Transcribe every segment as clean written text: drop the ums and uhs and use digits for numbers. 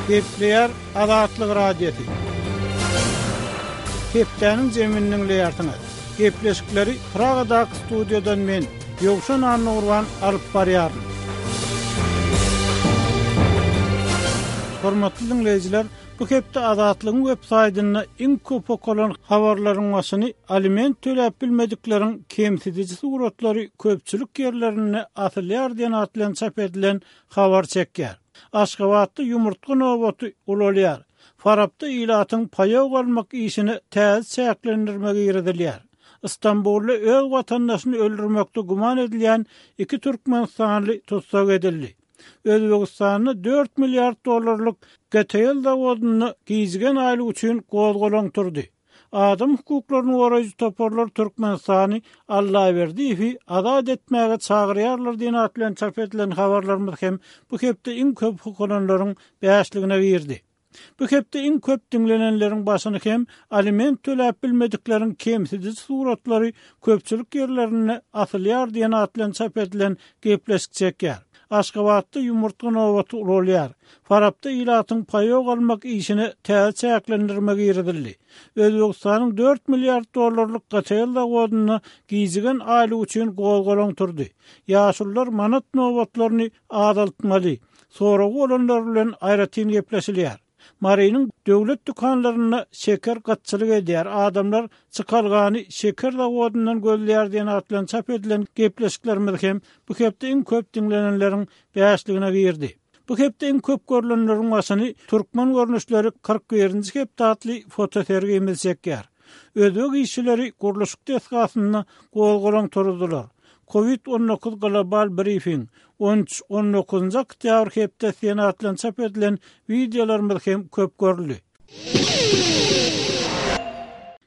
Gepleýär Azatlyk Radiosy. Hepdäniň jemini diňleýärsiňiz. Gepleşikleri Pragadaky studiýadan men, Ýowşan Annagurban alyp barýaryn. Hormatly diňleýjiler, bu hepde Azatlygyň web saýtynda iň köp okalan habarlaryň başyny aliment töläp bilmedikleriň kemsidiji suratlary köpçülik ýerlerinde asylýar diýen at bilen çap edilen habar çekýär. Aşgabatda ýumurtga nobaty ulalýar. Farapda ilatyň paýok almak işine täze çäklendirme girizilýär. Stambulda öz watandaşyny öldürmekde güman edilýän iki türkmenistanly tussag edildi. Özbegistanda dört milliard dollarlyk GTL zawodynda gijigen aýlyk üçin gozgalaň turdy. Adam hukuklaryny goraýjy toparlar Türkmenistany Allaberdiýewi azat etmäge çagyrýarlar diýen at bilen çap edilen habarlarymyz hem bu hepde iň köp okalanlaryň bäşligine girdi. Bu hepde iň köp diňlenenleriň başyny hem aliment töläp bilmedikleriň kemsidiji suratlary köpçülik ýerlerinde asylýar diýen at bilen çap edilen gepleşik çekýär. Aşgabatda ýumurtga nobaty ulalýar. Farapda ilatyň paýok almak işine täze çäklendirme girizildi. Özbegistanyň dört milliard dollarlyk GTL zawodynda gijigen aýlyk üçin gozgalaň turdy. Ýaşulular manat nobatlaryny azaltmaly. Soragy bolanlar bilen aýratyn gepleşilýär. Marynyň döwlet dükanlarynda şeker gytçylyk edýär, adamlar çykalgany şeker zawodyndan gözleýär diýen at bilen çap edilen gepleşiklerimiz hem bu hepde iň köp diňlenenleriň bäşligine girdi. Bu hepde iň köp görlenleriň başyny Türkmen görnüşleri 41-nji hepde atly fotosergimiz çekýär. Özbek işçileri gurluşyk desgasynda gozgalaň turuzdylar. Covid 19 global brifing, on üç, on dokuzynjy oktýabr hepde Senat bilen çap edilen wideolarymyz hem köp görüldi.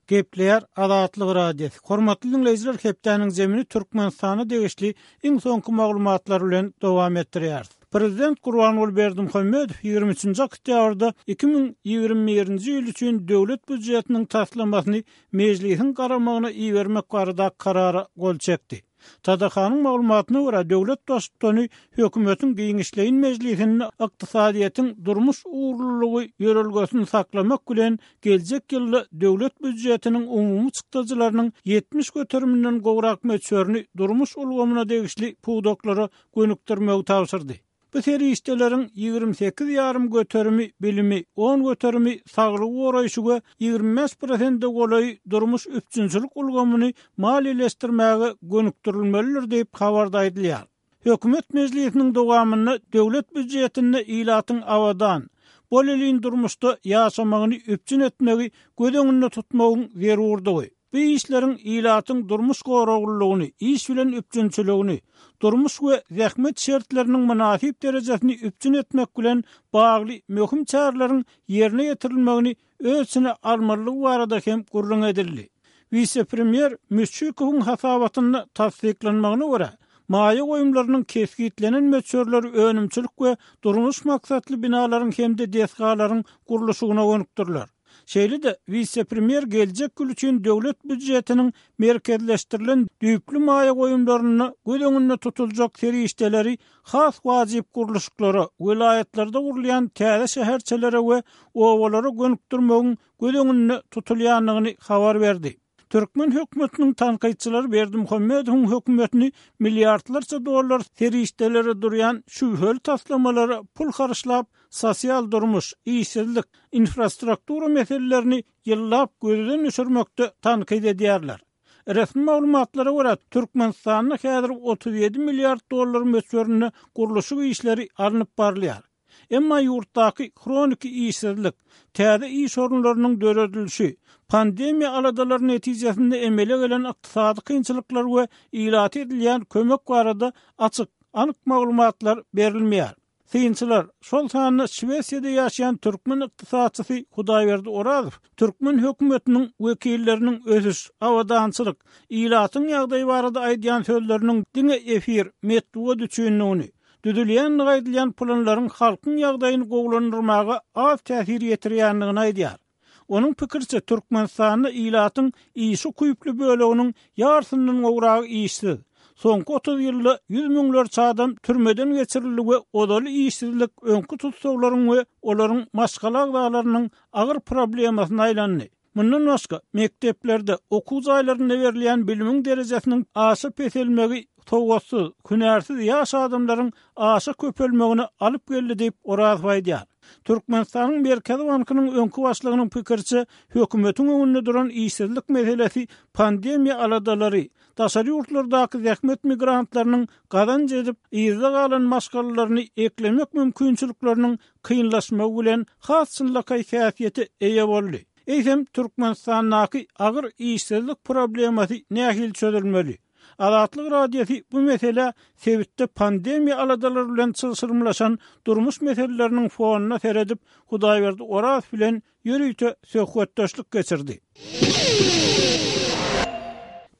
Gepleýär Azatlyk Radiosy. Hormatly diňleýjiler hepdäniň zemini Türkmenistana degişli iň soňky maglumatlar bilen dowam etdirýäris. Prezident Gurbanguly Berdimuhamedow 23-nji oktýabrda 2021-nji ýyl üçin döwlet býujetiniň taslamasyny Mejlisiň garamagyna ibermek barada karara gol çekdi. TDH-nyň maglumatyna görä, döwlet Baştutany hökümetiň giňişleýin mejlisinde ykdysadyýetiň durmuş ugurlylygy ýörelgesini saklamak bilen, geljek ýylda döwlet býujetiniň umumy çykdajylarynyň 70 göteriminden gowrak möçberini durmuş ulgamyna degişli pudaklara gönükdirmegi tabşyrdy. Bu serişdeleriň 28 ýarym göterimi bilimi, on göterimi saglygy goraýşy we 25 prosente golaýy durmuş üpjünçilik ulgamyny maliýeleşdirmäge gönükdirilmelidir diýip, habarda aýdylýar. Hökümet mejlisiniň dowamynda döwlet býujetinde ilatyň abadan, bolelin durmuşda ýaşamagyny üpjün etmegi göz öňünde tutmagyň zerurdygy, Bu işleriň ilatyň durmuş goraglylygyny, iş bilen üpjünçiligini, durmuş we zähmet şertleriniň mynasyp derejesini üpjün etmek bilen bagly möhüm çäreleriň ýerine ýetirilmegini öz içine almalydygy barada hem gürrüň edildi. Wise-premýer Müşşikowyň hasabatynda tassyklanmagyna görä, maýa goýumlarynyň kesgitlenen möçberleri önümçilik we durmuş maksatly binalaryň hem-de desgalaryň gurluşygyna gönükdiriler. Şeýle-de, wise-premýer geljek ýyl üçin döwlet býujetiniň merkezleşdirilen düýpli maýa goýumlarynda göz öňünde tutuljak serişdeleri has wajyp gurluşyklara, welaýatlarda gurulýan täze şäherçelere we obalara gönükdirmegiň göz öňünde tutulýandygyny habar berdi. Türkmen hökümetiniň tankytçylary Berdimuhamedowyň hökümetini milliardlarça dollar serişdelere durýan şübheli taslamalara pul harçlap, sosial durmuş, işsizlik, infrastruktura meselelerini ýyllap gözden düşürmekde tankyt edýärler. Resmi maglumatlara görä, Türkmenistanda häzir 37 milliard dollar möçberinde gurluşyk işleri alnyp barylýar. Emma ýurtdaky hroniki işsizlik, täze iş orunlarynyň döredilişi, pandemiýa aladalary netijesinde emele gelen ykdysady kynçylyklar we ilata edilýän kömek barada açyk, anyk maglumatlar berilmeýär. Synçylar, şol sanda Şwesiýada ýaşaýan türkmen ykdysatçysy Hudaýberdi Orazow türkmen hökümetiniň wekilleriniň ösüş, abadançylyk, ilatyň ýagdaýy barada aýdýan sözleriniň diňe efir, metbugat üçindigini, düzülýändigi aýdylýan planlaryň halkyň ýagdaýyny gowulandyrmaga az täsir ýetirýändigini aýdýar. Onuň pikiriçe, Türkmenistanda ilatyň işe ukyply böleginiň ýarsyndan gowragy işsiz. Soňky 30 ýylda ýüz müňlerçe adam türmeden geçirildi we ozaly işsizlik öňki tussaglaryň we olaryň maşgala agzalarynyň agyr problemasyna aýlandy. Mundan başga, mekdeplerde, okuw jaýlarynda berilýän bilimiň derejesiniň aşa peselmegi sowatsyz, hünärsiz ýaş adamlaryň aşa köpelmegine alyp geldi diýip, Orazow aýdýar. Türkmenistanyň Merkezi bankynyň öňki başlygynyň pikiriçe, hökümetiň öňünde duran işsizlik meselesi pandemiýa aladalary, daşary ýurtlardaky zähmet migrantlarynyň gazanç edip, yzda galan maşgalalaryny eklemek mümkinçilikleriniň kynlaşmagy bilen has çynlakaý häsiýete eýe boldy. Eýsem, Türkmenistandaky agyr işsizlik problemasy nähili çözülmeli? Azatlyk Radiosy bu meselä sebitde pandemiýa aladalary bilen çylşyrymlaşan durmuş meseleleriniň fonunda seredip, Hudaýberdi Orazow bilen ýörite söhbetdeşlik geçirdi.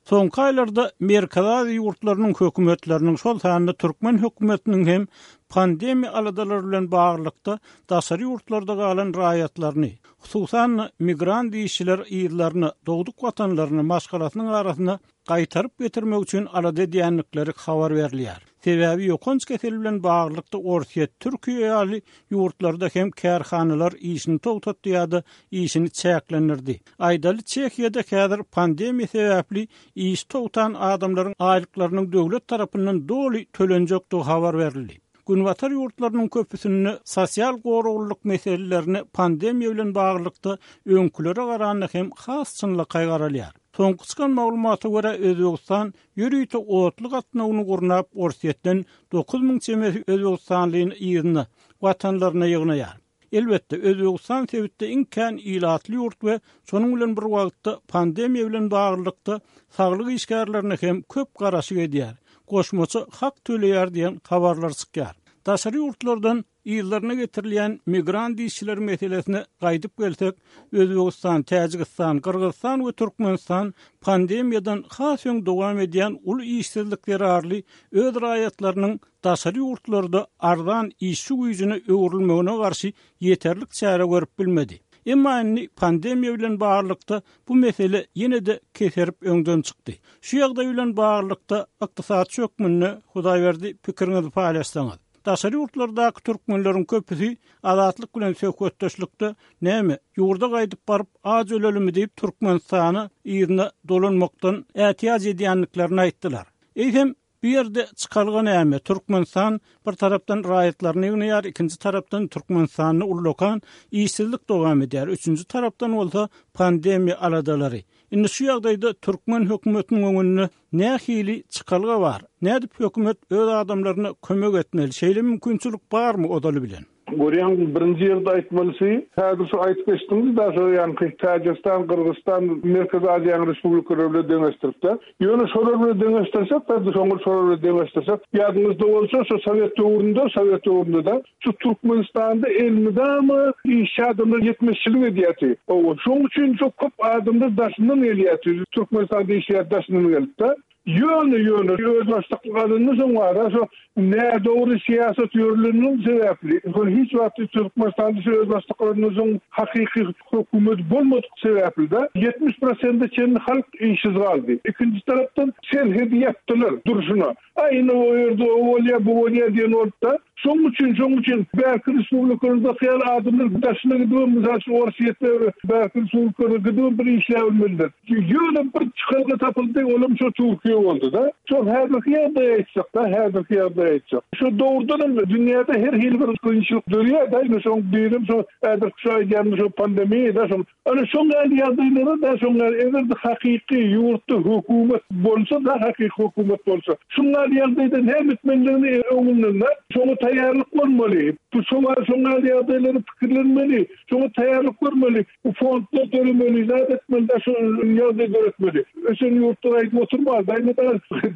Soňky aýlarda Merkezi Aziýa ýurtlarynyň hökümetleriniň, şol sanda türkmen hökümetiniň hem pandemiýa aladalary bilen baglylykda daşary ýurtlarda galan raýatlaryny, hususan-da, migrant işçileri yzlaryna, dogduk watanlaryna, maşgalasynyň arasyna gaýtaryp getirmek üçin alada edýändikleri habar berilýär. Sebäbi ýokanç kesel bilen baglylykda Orsýet, Türkiýe ýaly ýurtlarda hem kärhanalar işini togtatdy ýa-da işini çäklendirdi. Aýdaly, Çehiýada häzir pandemiýa sebäpli işi togtan adamlaryň aýlyklarynyň döwlet tarapyndan doly tölenjekdigi habar berildi. Günbatar ýurtlarynyň köpüsinde sosial goraglylyk meselelerine pandemiýa bilen baglylykda öňkülere garanda hem has çynlakaý garalýar. Soňky çykan maglumata görä, Özbegistan ýörite otly gatnawyny gurnap, Orsýetden 9000 çemesi özbegistanlyny yzyna, watanlaryna ýygnaýar. Elbetde, Özbegistan sebitde iň kän ilatly ýurt we şonuň bilen bir wagtda pandemiýa bilen baglylykda saglyk işgärlerine hem köp garaşyk edýär, goşmaça hak töleýär diýen habarlar çykýar. Daşary ýurtlardan yzlaryna getirilýän migrant işçiler meselesine gaýdyp gelsek, Özbegistan, Täjigistan, Gyrgyzystan we Türkmenistan pandemiýadan has öň dowam edýän uly işsizlik zerarly öz raýatlarynyň daşary ýurtlarda arzan işçi güýjüne öwrülmegine garşy ýeterlik çäre görüp bilmedi. Emma indi pandemiýa bilen baglylykda bu mesele ýene-de keserip öňden çykdy. Şu ýagdaý bilen baglylykda ykdysatçy hökmünde Hudaýberdi pikiriňizi paýlaşsaňyz. Daşary ýurtlardaky türkmenleriň köpüsi Azatlyk bilen söhbetdeşlikde näme, ýurda gaýdyp baryp aç ölelimi diýip Türkmenistana yzyna dolanmakdan ätiýaç edýändiklerini aýtdylar. Eýsem, Bu ýerde çykalga näme? Türkmenistan bir tarapdan raýatlaryny ýygnaýar, ikinji tarapdan Türkmenistanda ullakan işsizlik dowam edýär, üçünji tarapdan bolsa pandemiýa aladalary. Indi şu ýagdaýda türkmen hökümetiniň öňünde nähili çykalga bar? Nädip hökümet öz adamlaryna kömek etmeli? Şeýle mümkinçilik barmy ozaly bilen? Görýäň, birinji ýerde aýtmalysy, häzir şu aýtyp geçdiňiz-dä, şo ýaňky Täjigistan, Gyrgyzystan, Merkezi Aziýanyň respublikalary bilen deňeşdirip-de. Ýöne şolar bilen deňeşdirsek, biz şoňa şolar bilen deňeşdirsek, ýadyňyzda bolsa, şo sowet döwründe, sowet döwründe-de, şu Türkmenistanda elmydama işçi adamlar ýetmezçilik edýärdi. Hawa, şoň üçin şo köp adamlar daşyndan gelýärdi, Türkmenistanda işleýär daşyndan gelip-de. Ýöne, ýöne özbaşdaklyk alyndy soň wara şo nädogry syýasat ýörilenligi sebäpli, şol hiç wagt Türkmenistanda şu özbaşdaklyk alyndan soň hakyky hökümet bolmadyk sebäpli-de 70 prosente çenli halk işsiz galdy. Ikinji tarapdan serhedi ýapdylar durşuna. A indi o ýerde o bolýar, bu bolýar diýen bolupda. Şoň üçin, şoň üçin bärki respublikalardaky ýaly adamlar daşyna gidibem, mysal üçin, Orsýetde bärki respublikalara gidibem bir işläbilmelidir. Ýöne bir çykalga tapyldy, olam şo Türkiýe boldy-da. Şo häzirki ýagdaýy aýtsak-da, häzirki ýagdaýy aýtsak. Şo dogrudanam dünýäde her hili bir kynçylyk dörýär-de, indi şoň birem şo häzirki şo aýdýanym şo pandemiýa-da, şoň Ana şoň ýaly ýagdaýlara-da şoň ýaly eger-de hakyky ýurtda hökümet bolsa-da, hakyky hökümet bolsa, şuň ýaly ýagdaýda näme etmelidigini öňünden-de şoňa taýýarlyk bolmaly. Bu şo bar şoň ýaly ýagdaýlary pikirlenmeli, şoňa taýýarlyk görmeli. Bu fondlar döremeli, zat etmeli-de şu ýagdaý döretmeli. Ösen ýurtlar aýdyp oturmaly-da, indi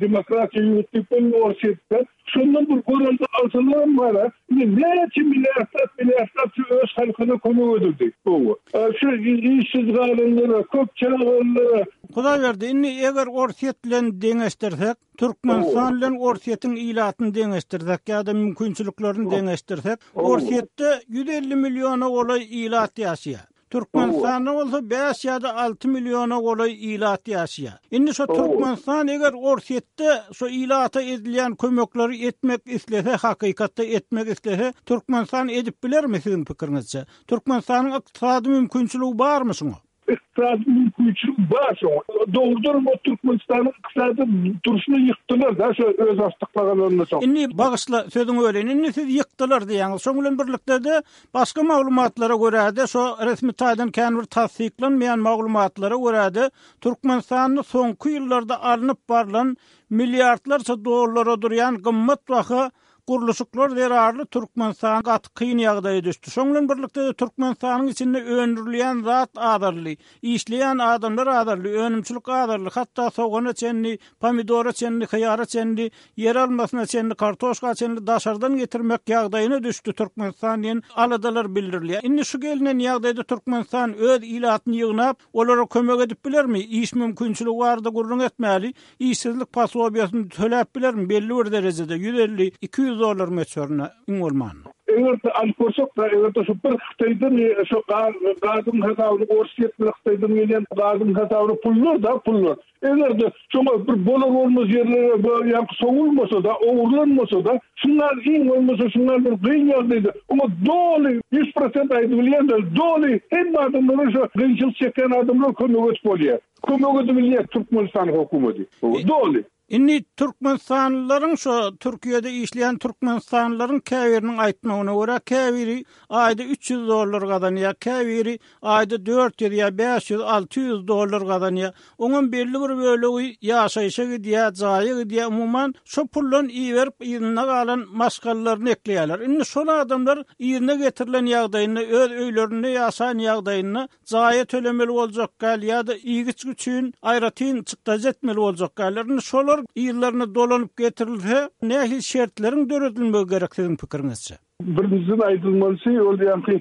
demokratiýa ýurt diýip bolmaly Orsýetde. Şondan bir görelde alsalaram bar-a, indi näçe milliardlap, milliardlap şu öz halkyna kömek edildi. Hawa. Şu işsiz galanlara, köp çagalylara. Hudaýberdi, indi eger Orsýet bilen deňeşdirsek, Türkmenistan bilen Orsýetiň ilatyny deňeşdirsek ýa-da mümkinçiliklerini deňeşdirsek, Orsýetde 150 milliona golaý ilat ýaşaýar. Türkmenistanda bolsa 5 ýa-da 6 milliona golaý ilat ýaşaýar. Indi şo Türkmenistan eger Orsýetde şo ilata edilýän kömekleri etmek islese, hakykatda etmek islese, Türkmenistan edip bilermi siziň pikiriňizçe? Türkmenistanyň ykdysady mümkinçiligi barmy şuňa? Ykdysady mümkinçiligi bar şoňa. Dogrudanam o Türkmenistanyň ykdysady durşuny ýykdylar da şo özbaşdaklyk soň. Indi bagyşla sözüňi böleýin. Indi siz ýykdylar diýýäňiz. Şoň bilen birlikde-de başga maglumatlara görä-de şo resmi taýdan kän bir tassyklanmaýan maglumatlara görä-de Türkmenistanda soňky ýyllarda alnyp barlan milliardlarça dollara durýan gymmat baha Gurluşyklar zerarly Türkmenistan gaty kyn ýagdaýa düşdi. Şoň bilen birlikde-de Türkmenistanyň içinde öndürilýän zat azaldy. Işleýän adamlar azaldy, önümçilik azaldy, hatda sogana çenli, pomidora çenli, hyýara çenli, ýeralmasyna çenli, kartoşka çenli daşardan getirmek ýagdaýyna düşdi Türkmenistan diýen aladalar bildirilýär. Indi şu gelnen ýagdaýda Türkmenistan öz ilatyny ýygnap, olara kömek edip bilermi? Iş mümkinçiligi barada gürrüň etmäli. Işsizlik posobiýasyny töläp bilermi belli bir derejede, 150, 200 dollar möçberinde iň bolmanda. Eger-de alyp görsek-de, eger-de şu bir Hytaýdan şu gaz, gazyň hasabyny Orsýet bilen Hytaýdan gelýän gazyň hasabyny pullar-da, pullar. Eger-de şoňa bir bolar-bolmaz ýerlere ýaňky sowulmasa-da, ogurlanmasa-da, şundan iň bolmasa şundan bir gyn ýagdaýda oňa doly 100% aýdybilýän-de, doly hemme adamlara şu kynçylyk çekýän adamlara kömek edip bolýar. Kömek edibilýär Türkmenistan hökümeti. Doly. Indi türkmenistanlylaryň şo Türkiýede işleýän türkmenistanlylaryň käbiriniň aýtmagyna görä, käbiri aýda 300 dollar gazanýar, käbiri aýda 400 ýa 500, 600 dollar gazanýar. Oňam belli bir bölegi ýaşaýşa gidýär, jaýa gidýär, umuman şo puldan iberip yzynda galan maşgalalaryny ekleýärler. Indi şol adamlar yzyna getirilen ýagdaýynda, öz öýlerinde ýaşan ýagdaýynda jaýa tölemeli boljak däl ýa-da iýgiçgi üçin aýratyn çykdajy etmeli boljak däller. Indi şolar yzlaryna dolanyp getirilse, nähili şertleriň döredilmegi gerek siziň pikiriňizçe? Birinjiden aýdylmalysy, ol ýaňky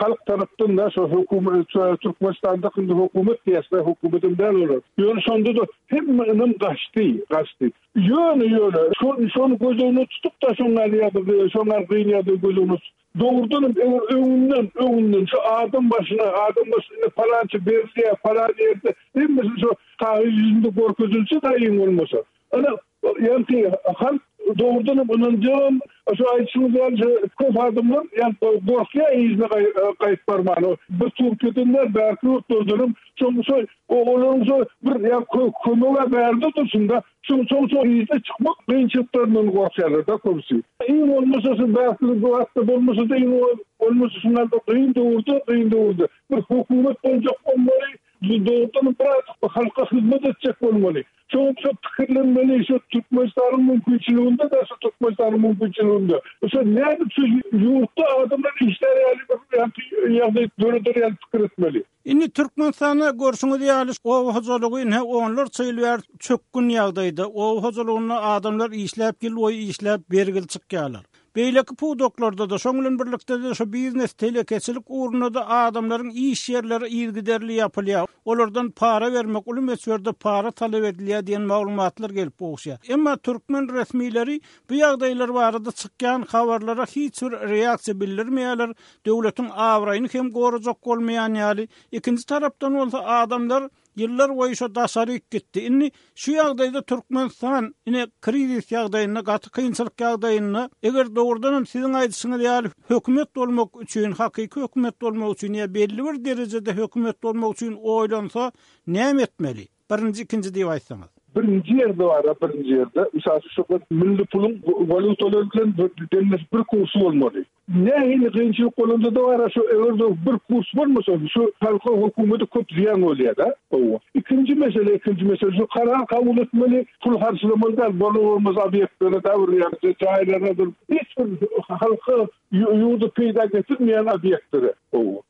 halk tarapdan-da şo hökümet, Türkmenistanda indi hökümet diýýäs-de, hökümetem däl olar. Ýöne şonda-da hemme ynam gaçdy, gaçdy. Ýöne, ýöne, şony göz öňünde tutup-da şoňa ýa-da şoňa gyn ýa-da göz öňünde Dogrudanam, eger öňünden, öňünden şu adam başyna, adam başyna indi palança berilýär, palan ýerde, hemmesi şu kagyz ýüzünde görkezilse daýyň bolmasa. Ana, ýaňky halk dogrudanam ynanjagam, şu aýdyşyňyz ýaly şu köp adamlar ýaňky gorkýar yzyna gaýyp barmana. Bir Türkiýeden däl, bärki ýurtlardanam şoň şo olaryň şo bir ýa kömeg-ä bärde dursun-da, Şoň soň soň yza çykmak kynçylyklaryndan gorkýarlar-da köpüsi. Iň bolmasa şu bäsleşik bu hakda bolmasa-da iň bolmasa şundan bir kyn döwürde, kyn döwürde bir hökümet boljak bolmaly, dogrudanam biraz halka hyzmat etjek bolmaly. Şoň şo pikirlenmeli, şo Türkmenistanyň mümkinçiliginde-de şo Türkmenistanyň mümkinçiliginde. Şo nädip şu ýurtda adamlar işlär ýaly bir ýagdaý döreder ýaly pikir etmeli. Indi Türkmenistanda görşüňiz ýaly oba hojalygy ine onlarça ýyl bäri çökgün ýagdaýda. Oba hojalygynda adamlar işläp ýyl boýy işläp bergili çykýarlar. Beýleki pudaklarda-da, şoň bilen birlikde-de şu biznes, telekeçilik ugrunda-da adamlaryň iş ýerleri yzygiderli ýapylýar. Olardan para bermek, uly möçberde para talap edilýär diýen maglumatlar gelip gowuşýar. Emma türkmen resmileri bu ýagdaýlar barada çykýan habarlara hiç bir reaksiýa bildirmeýärler, döwletiň abraýyny hem gorajak bolmaýan ýaly, ikinji tarapdan bolsa adamlar ýyllar boýy şo daşaryk gitdi. Indi şu ýagdaýda Türkmenistan ine krizis ýagdaýynda, gaty kynçylyk ýagdaýynda, eger dogrudan hem siziň aýdyşyňyz ýaly hökümet bolmak üçin, hakyky hökümet bolmak üçin ýa belli bir derejede hökümet bolmak üçin oýlansa näme etmeli? Birinji, ikinji diýip aýtsaňyz. Birinji ýerde bar-a, birinji ýerde. Mysal üçin, şu bir milli puluň walýutalar bilen deňleşip bir kursy bolmaly. Nähili kynçylyk bolanda-da bar-a, şu eger-de bir kurs bolmasa, şu halka, hökümete köp zyýan bolýar-da. Hawa. Ikinji mesele, ikinji mesele, şu karar kabul etmeli, pul harçlamaly däl, bolar-bolmaz obýektlere da bir ýa-da jaýlara bir hiç bir halka Ýurda peýda getirmeýän obýektlere.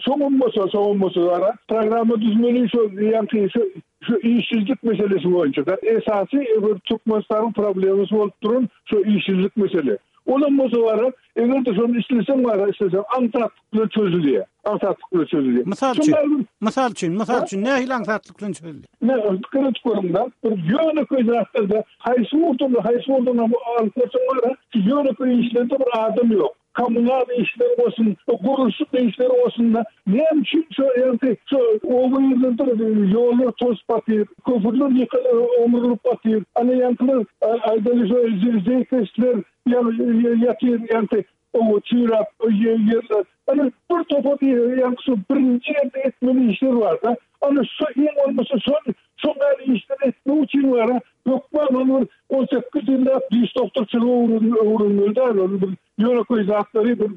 Soňam bolsa, soňam bolsa gara programma düzmeli şo ýaňky şo şu işsizlik meselesi boýunça da esasy bir Türkmenistanyň problemasy bolup duran şo işsizlik mesele. Olam bolsa gara eger-de şony isleseň gara isleseň aňsatlyk bilen çözülýär. Aňsatlyk bilen çözülýär. Mysal üçin, mysal üçin, mysal üçin nähili aňsatlyk bilen çözülýär? Ne, pikir edip görüň-de, bir ýönekeý zatlarda haýsy ugurdan, haýsy ugurdan alyp görseň gara, şu ýönekeý işlerde bir adam ýok. Kommunal işler bolsun, gurluşyk işleri bolsun-da, näme üçin şo ýaňky şo oba ýerlerde ýollar tozup batyr, köprüler ýykylyp, omrulyp batyr. Ana ýaňkylar aýdaly şo zeýkeşler ýatyr ýaňky oba çüýräp ýerler. Ana bir topar ýaňky şo birinji ýerde etmeli işler bar-da. Ana şo iň bolmasa şol şol ýaly işleri etmek üçin bar-a hökman ol bir 18 ýyllap diş doktorçylygy öwrenmeli däl ol bir ýönekeý zatlary bir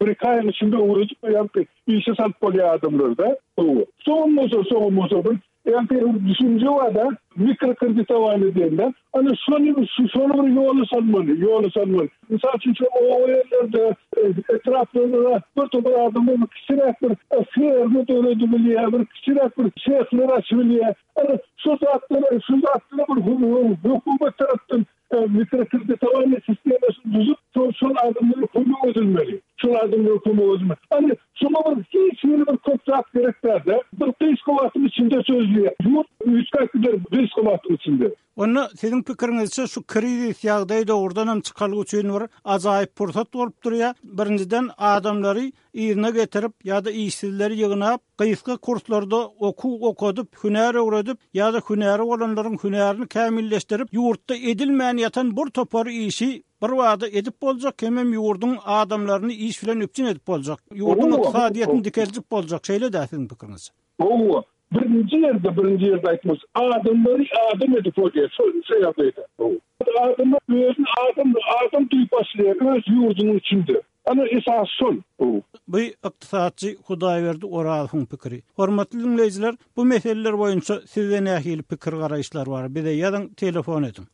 bir iki aýyň içinde öwredip ýaňky işe salyp bolýar adamlary-da. Hawa. Soňam bolsa soňam bolsa bir ýaňky bir düşünje bar-da mikrokreditowaniýe diýende. Ana şony şony bir ýola salmaly, ýola salmaly. Mysal üçin şu oba ýerlerde, etraplarda bir topar adamlar bir kiçiräk bir ferma döredibilýär, bir kiçiräk bir sehler açybilýär. Ana şu zatlara, şu zatlara bir hökümet tarapdan mikrokreditowaniýe sistemasyny düzüp, şol şol adamlara kömek edilmeli. Şol adamlara kömek edilmeli. Ana şoňa bir hiç hili bir köp zat gerek däl-de. Bir gysga wagtyň içinde çözülýär. Ýurt üýtgäp gider gysga wagtyň içinde. Onda siziň pikiriňizçe şu krizis ýagdaý dogrudanam çykalga üçin bir ajaýyp pursat bolup durýar. Birinjiden adamlary yzyna getirip ýa-da işsizleri ýygnap, gysga kurslarda okuw okadyp, hünär öwredip ýa-da hünäri bolanlaryň hünärini kämilleşdirip, ýurtda edilmän ýatan bir topar işi birbada edip boljak hemem ýurduň adamlaryny iş bilen üpjün edip boljak, ýurduň ykdysadyýetini dikeldip boljak, şeýle-dä siziň pikiriňizçe? Hawa, birinji ýerde, birinji ýerde aýtmaly, adamlary adam edip bolýar şo şo ýagdaýda. Adamlar özüni adam adam duýup başlaýar öz ýurdunyň içinde. Ana esasy şol. Bu ykdysatçy Hudaýberdi Orazowyň pikiri. Hormatly diňleýjiler, bu meseleler boýunça sizde nähili pikir-garaýyşlar bar? Bize ýazyň, telefon ediň.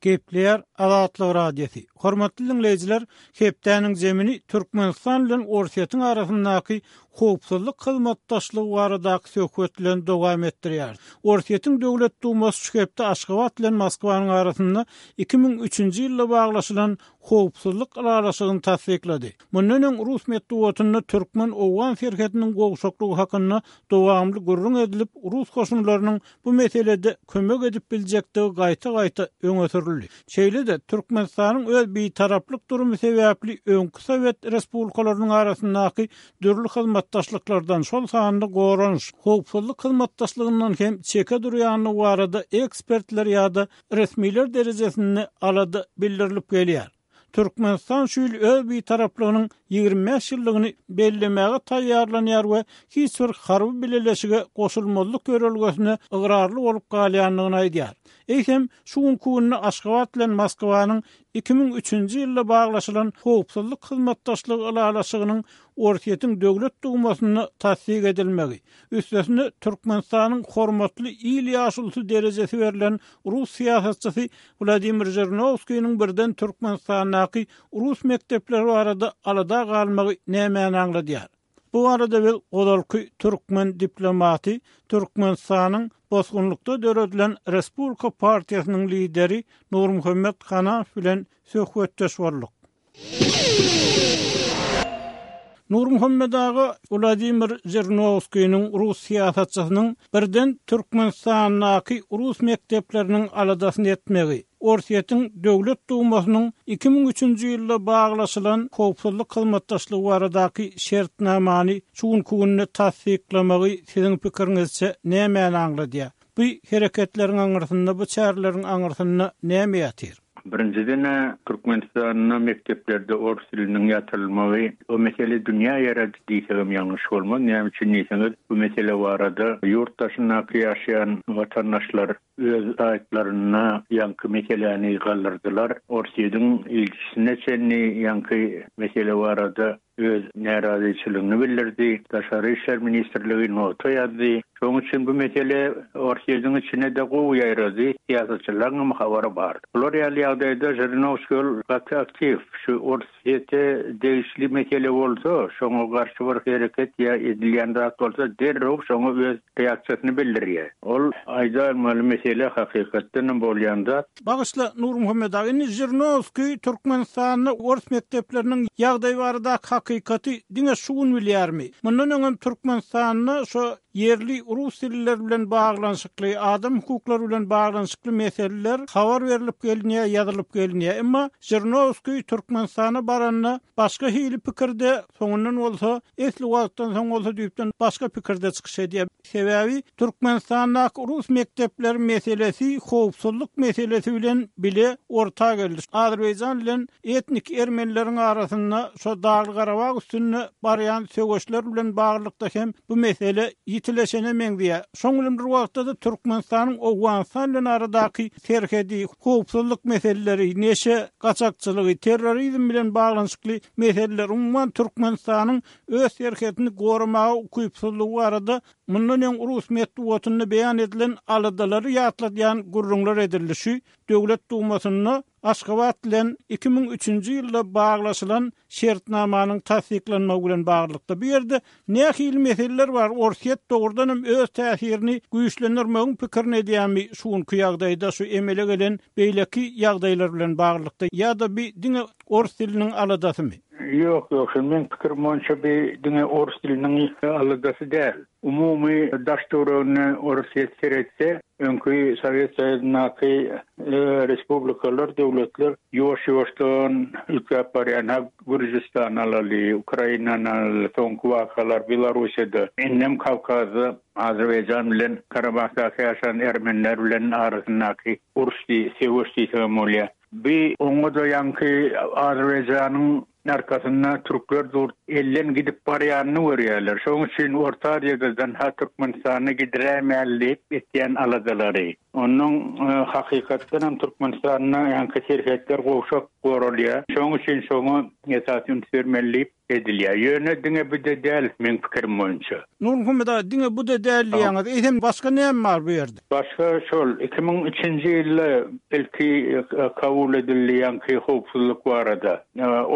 Gepleýär Azatlyk Radiosy. Hormatly diňleýjiler, hepdäniň zemini Türkmenistan bilen Orsýetiň arasyndaky howpsuzlyk hyzmatdaşlygy baradaky söhbet bilen dowam etdirýäris. Orsýetiň Döwlet Dumasy şu hepde Aşgabat bilen Moskwanyň arasynda 2003-nji ýylda baglaşylan howpsuzlyk ylalaşygyny tassyklady. Mundan öň rus metbugatynda türkmen-owgan serhediniň gowşaklygy hakynda dowamly gürrüň edilip, rus goşunlarynyň bu meselede kömek edip biljekdigi gaýta-gaýta öňe sürüldi. Şeýle-de, Türkmenistanyň öz bitaraplyk durumy sebäpli öňki sowet respublikalarynyň arasyndaky dürli hyzmatdaşlyklardan, şol sanda goranyş, howpsuzlyk hyzmatdaşlygyndan hem çeke durýandygy barada ekspertler ýa-da resmiler derejesinde alada bildirilip gelýär. Türkmenistan şu ýyl öz Bitaraplygynyň 25 ýyllygyny bellemäge taýýarlanýar we hiç bir harby bileleşige goşulmazlyk ýörelgesine ygrarly bolup galýandygyny aýdýar. Eýsem, şu günki günde Aşgabat bilen Moskwanyň 2003-nji ýylda baglaşylan Howpsuzlyk hyzmatdaşlygy ylalaşygynyň Orsýetiň Döwlet Dumasynda tassyk edilmegi, Üstesine, Türkmenistanyň hormatly il ýaşulusy derejesi berlen rus syýasatçysy Wladimir Žirinowskiniň birden Türkmenistandaky rus mekdepleri barada alada galmagy nämäni aňladýar? Bu barada biz ozalky türkmen diplomaty, Türkmenistanyň bosgunlykda döredilen Respublika partiýasynyň lideri Nurmuhammet Hanamow bilen söhbetdeş bolduk. Nurmuhammet aga Wladimir Žirinowskiniň rus syýasatçysynyň birden Türkmenistandaky rus mekdepleriniň aladasyny etmegi, Orsýetiň Döwlet Dumasynyň 2003-nji ýylda baglaşylan howpsuzlyk hyzmatdaşlygy baradaky şertnamany şu günki günde tassyklamagy siziň pikiriňizçe nämäni aňladýar? Bu hereketleriň aňyrsynda, bu çäreleriň aňyrsynda näme ýatyr? Birinjiden-ä, Türkmenistanda mekdeplerde ors diliniň ýatyrylmagy, o mesele dünýä ýarady diýsegem ýalňyş bolmaz. Näme üçin diýseňiz, bu mesele barada ýurt daşyndaky ýaşaýan watandaşlar öz saýtlarynda ýaňky meseläni galdyrdylar. Orsýetiň ilçisine çenli ýaňky mesele barada öz närazyçylygyny bildirdi. Daşary işler ministrligi nota ýazdy. Şonuň üçin bu mesele Orsýetiň içine-de gowy ýaýrady, syýasatçylaryň hem habary bar. Bular ýaly ýagdaýda Žirinowskiý ol gaty aktiw. Şu Orsýete degişli mesele bolsa, şoňa garşy bir hereket ýa edilýän zat bolsa derrew şoňa öz reaksiýasyny bildirýär. Ol aýdalmaly mesele hakykatdan hem bolýan zat. Bagyşla, Nurmuhammet aga, indi Žirinowskiý Türkmenistanda ors mekdepleriniň ýagdaýy baradaky hakykaty diňe şu gün bilýärmi? Mundan öňem Türkmenistanda şo ýerli. rus dilliler bilen baglanyşykly, adam hukuklary bilen baglanyşykly meseleler habar berlip gelinýär, ýazylyp gelinýär. Emma Žirinowskiý Türkmenistana baranda başga hili pikirde, soňundan bolsa, esli wagtdan soň bolsa düýpden başga pikirde çykyş edýär. Sebäbi Türkmenistandaky rus mekdepleri meselesi howpsuzlyk meselesi bilen bile orta geldi. Azerbaýjan bilen etnik ermenileriň arasynda şo Dagly-Garabag üstünde barýan söweşler bilen baglylykda hem bu mesele ýitileşene meňzeýär. Şoň bilen bir wagtda-da Türkmenistanyň Owganystan bilen aradaky serhedi, howpsuzlyk meseleleri, neşe gaçakçylygy, terrorizm bilen baglanyşykly meseleler, umuman Türkmenistanyň öz serhedini goramaga ukypsyzlygy barada mundan öň rus metbugatynda beýan edilen aladalary ýatladýan gürrüňler edildi. Şu Döwlet Dumasynda Aşgabat bilen 2003-nji ýylda baglaşylan şertnamanyň tassyklanmagy bilen baglylykda, bu ýerde nähili meseleler bar, Orsýet dogrudan hem öz täsirini güýçlendirmegiň pikirini edýärmi şu günki ýagdaýda şu emele gelen beýleki ýagdaýlar bilen baglylykda ýa-da bi diňe ors diliniň aladasymy? Ýok, ýok, şol meň pikirim boýunça bi diňe ors diliniň aladasy däl. Umumy daş-töweregine Orsýet seretse, öňki Sowet Soýuzyndaky respublikalar, döwletler ýuwaş-ýuwaşdan üýtgäp barýan. Ha Gürjüstany alaly, Ukrainany alaly, soňky wakalar Belarussiýada, indem Kawkazda Azerbaýjan bilen Karabahdaky ýaşan ermeniler bilen arasyndaky uruş diý, söweş diýsegem bolýar. Bi oňa-da ýaňky Azerbaýjanyň arkasynda türkler dur, elden gidip barýanyny görýärler. Şoň üçin Orta Aziýadadan ha Türkmenistany gidiräýmäli diýip etýän aladalary. Onnoň hakykatdanam Türkmenistanda ýaňky serhetler gowşak goralýar. Şoň üçin şoňa esasy üns bermeli diýip edilýär. Ýöne diňe bu-da däl, meň pikirim boýunça. Nurmuhammet aga, diňe bu-da däl diýýäňiz. Eýsem, başga näme bar bu ýerde? Başga şol, 2003-nji ýylda ilki kabul edildi ýaňky howpsuzlyk barada,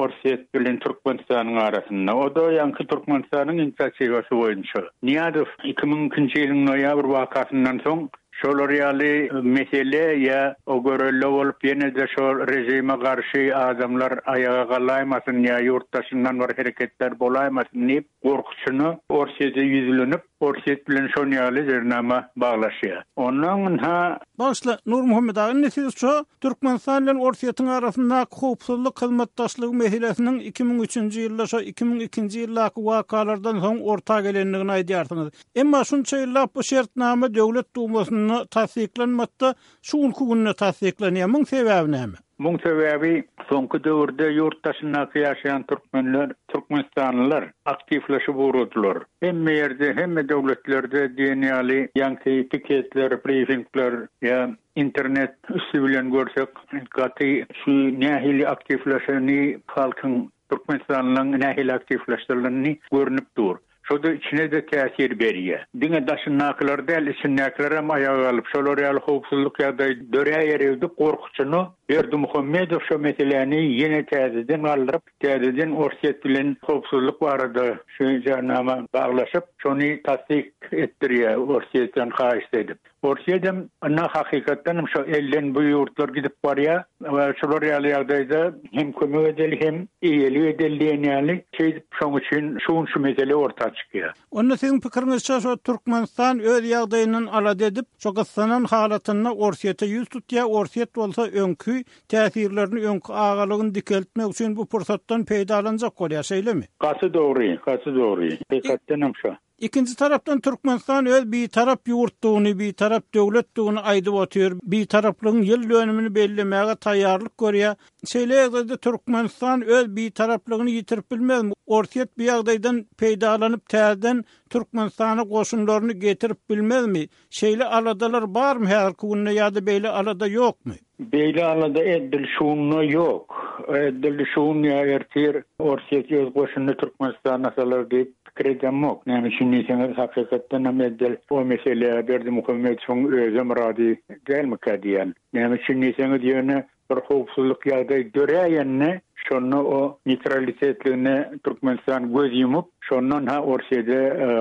Orsýet bilen Türkmenistanyň arasynda. O-da ýaňky Türkmenistanyň inisiatiwasy boýunça. Nyýazow 2002-nji ýylyň noýabr wakasyndan soň Şolar ýaly mesele ýa o görelde bolup ýene-de şo režime garşy adamlar aýaga galaýmasyn ýa ýurt daşyndan bir hereketler bolaýmasyn diýip gorkusyna Orsýete ýüzlenip Orsýet bilen şon ýaly jernama baglaşýar. Onnoň ynha. Bagyşla, Nurmuhammet aga, indi siz şo Türkmenistan bilen Orsýetiň arasyndaky howpsuzlyk hyzmatdaşlygy meselesiniň 2003-nji ýylda şo 2002-nji ýyldaky wakalardan soň orta gelendigini aýdýarsyňyz. Emma şunça ýyllap bu şertnama Döwlet Dumasynda tassyklanmady-da, şu günki günde tassyklanýar. Muň sebäbi näme? Muň sebäbi soňky döwürde ýurt daşyndaky ýaşaýan türkmenler, türkmenistanlylar aktiwleşip ugradylar. Hemme ýerde, hemme döwletlerde diýen ýaly ýaňky piketler, brifingler ýa internet üsti bilen görsek gaty şu nähili aktiwleşeni halkyň türkmenistanlylaryň nähili aktiwleşdirileni görnüp dur. Şo-da içine-de täsir berýär. Diňe daşyndakylar däl, içindäkilerem aýaga galyp, şolar ýaly howpsuzlyk ýagdaýy döräýer öýdüp gorkusyna Berdimuhamedow şo meseläni ýene täzeden galdyryp, täzeden Orsýet bilen howpsuzlyk barada şu jarnama baglaşyp, şony tassyk etdirýär Orsýetden haýyşt edip. Orsýedem ynha hakykatdanam şo elden bu ýurtlar gidip barýar we şular ýaly ýagdaýda hem kömek edeli hem eýelik edeli diýen ýaly şeýdip şoň üçin şu gün şu mesele orta çykýar. Onda siziň pikiriňizçe şo Türkmenistan öz ýagdaýyndan alada edip şo gyssanan halatynda Orsýete ýüz tutýar Orsýet bolsa öňki täsirlerini öňki agalygyny dikeltmek üçin bu pursatdan peýdalanjak bolýar şeýlemi? Gaty dogry gaty dogry hakykatdanam şo. Ikinji tarapdan Türkmenistan öz bitarap ýurtdugyny, bitarap döwletdigini aýdyp otyr, bitaraplygyň ýyl dönümini bellemäge taýýarlyk görýär. Şeýle ýagdaýda Türkmenistan öz bitaraplygyny ýitirip bilmezmi? Orsýet bu ýagdaýdan peýdalanyp täzeden Türkmenistana goşunlaryny getirip bilmezmi? Şeýle aladalar barmy häzirki günde ýa-da beýle alada ýokmy? Beýle alada edil şu günde ýok. Edil şu gün ýa ertir Orsýet öz goşunyny Türkmenistana salar diýip pikir edemok. Näme üçin diýseňiz, hakykatdan hem edil o meselä Berdimuhamedowyň özem razy dälmikä diýýän. Näme üçin diýseňiz, ýöne bir howpsuzlyk ýagdaý döräýende. Şonda o neýtralitetligine Türkmenistan göz ýumup, şondan ha Orsýede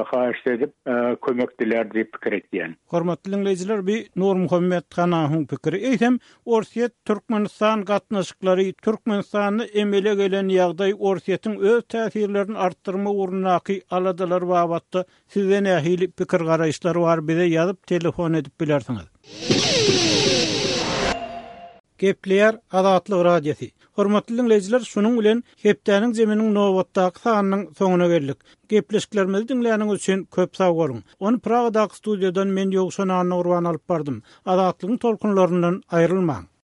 haýyşt edip kömek dilär diýip pikir etýän. Hormatly diňleýjiler bi Nurmuhammet Hanahyň pikiri. Eýsem Orsýet Türkmenistan gatnaşyklary, Türkmenistanda emele gelen ýagdaý Orsýetiň öz täsirlerini artdyrmak ugrundaky aladalary babatda sizde nähili pikir garaýyşlar bar bize ýazyp telefon edip bilersiňiz. Gepleýär Azatlyk Radiosy. Hormatly diňleýjiler, şunuň bilen hepdäniň zeminiň nobatdaky sanynyň soňuna geldik. Gepleşiklerimizi diňläniňiz üçin köp sag boluň. Ony Pragadaky studiýadan men Ýowşan Annagurban alyp bardym. Azatlygyň tolkunlaryndan aýrylmaň.